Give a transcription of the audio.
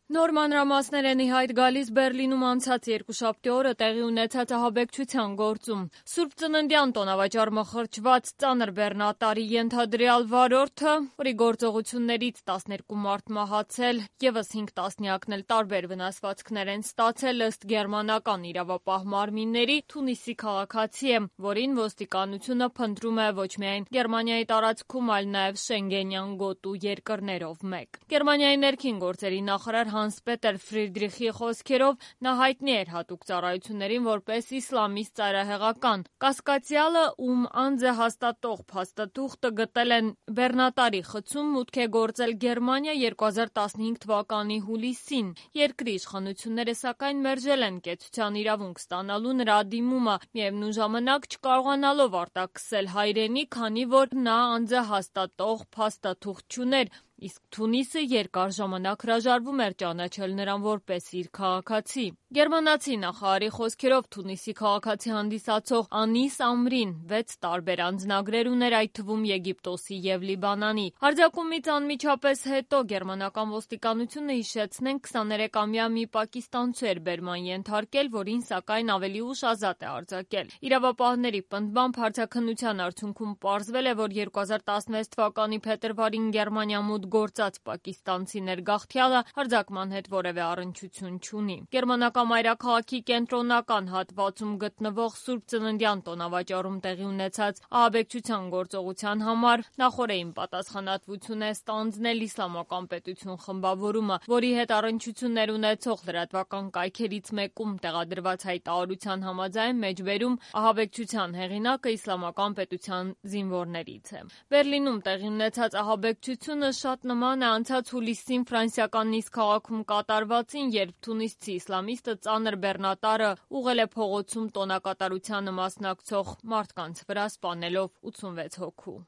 Նոր մանրամասներ են ի հայտ գալիս Բեռլինում անցած երկուշաբթի օրը տեղի ունեցած ահաբեկչության գործում։ Սուրբ Ծննդյան տոնավաճառ մխրճված ծանր բեռնատարի ենթադրյալ վարորդը, որի գործողություններից 12 մարդ մահացել, ևս 5 տասնյակն էլ տարբեր վնասվածքներ են ստացել ըստ գերմանական իրավապահ մարմինների, Թունիսի քաղաքացի է, որին ոստիկանությունը փնտրում է ոչ միայն Գերմանիայի տարածքում, այլ նաև Շենգենյան գոտու երկրներով մեկ։ Գերմանիայի ներքին գործերի նախարար Հանս-Պետեր Ֆրիդրիխի խոսքերով նա հայտնի էր հատուկ ծառայություններին որպես իսլամիստ ծայրահեղական։ Կասկածյալը, ում անձը հաստատող փաստաթուղթը գտել են բեռնատարի խցում, մուտք է գործել Գերմանիա 2015 թվականի հուլիսին։ Երկրի իշխանությունները սակայն մերժել են կեցության իրավունք ստանալու նրա դիմումը, միևնույն ժամանակ չկարողանալով արտաքսել հայրենի, քանի որ նա անձը հաստատող փաստաթուղթ չուներ, իսկ Թունիսը երկար ժամանակ հրաժարվում էր ճանաչել նրան որպես իր քաղաքացի։ Գերմանացի նախարարի խոսքերով Թունիսի քաղաքացի հանդիսացող Անիս Ամրին 6 տարբեր անձնագրեր ուներ, այդ թվում Եգիպտոսի և Լիբանանի։ Հարձակումից անմիջապես հետո գերմանական ոստիկանությունը, հիշեցնենք, 23-ամյա մի պակիստանցու էր բերման ենթարկել, որին սակայն ավելի ուշ ազատ է արձակել։ Իրավապահների պնդմամբ հարցաքննության արդյունքում պարզվել է, որ 2016 թվականի փետրվարին Գերմանիա մուտք գործած պակիստանցի ներգաղթյալը հարձակման հետ որևէ առնչություն չունի։ Գերմանական մայրաքաղաքի կենտրոնական հատվածում գտնվող Սուրբ Ծննդյան տոնավաճառում տեղի ունեցած ահաբեկչության գործողության համար նախօրեին պատասխանատվություն է ստանձնել Իսլամական պետություն խմբավորումը, որի հետ առնչություններ ունեցող լրատվական կայքերից մեկում տեղադրված հայտարարության համաձայն մեջբերում ահաբեկչության հեղինակը Իսլամական պետության զինվորներից է։ Բեռլինում տեղի ունեցած ահաբեկչությունը շատ նման է անցած հուլիսին ֆրանսիական Նիս քաղաքում կատարվածին, երբ թունիսցի իսլամիստը ծանր բեռնատարը ուղղել է փողոցում տոնակատարությանը մասնակցող մարդկանց վրա, սպանելով 86 հոգու։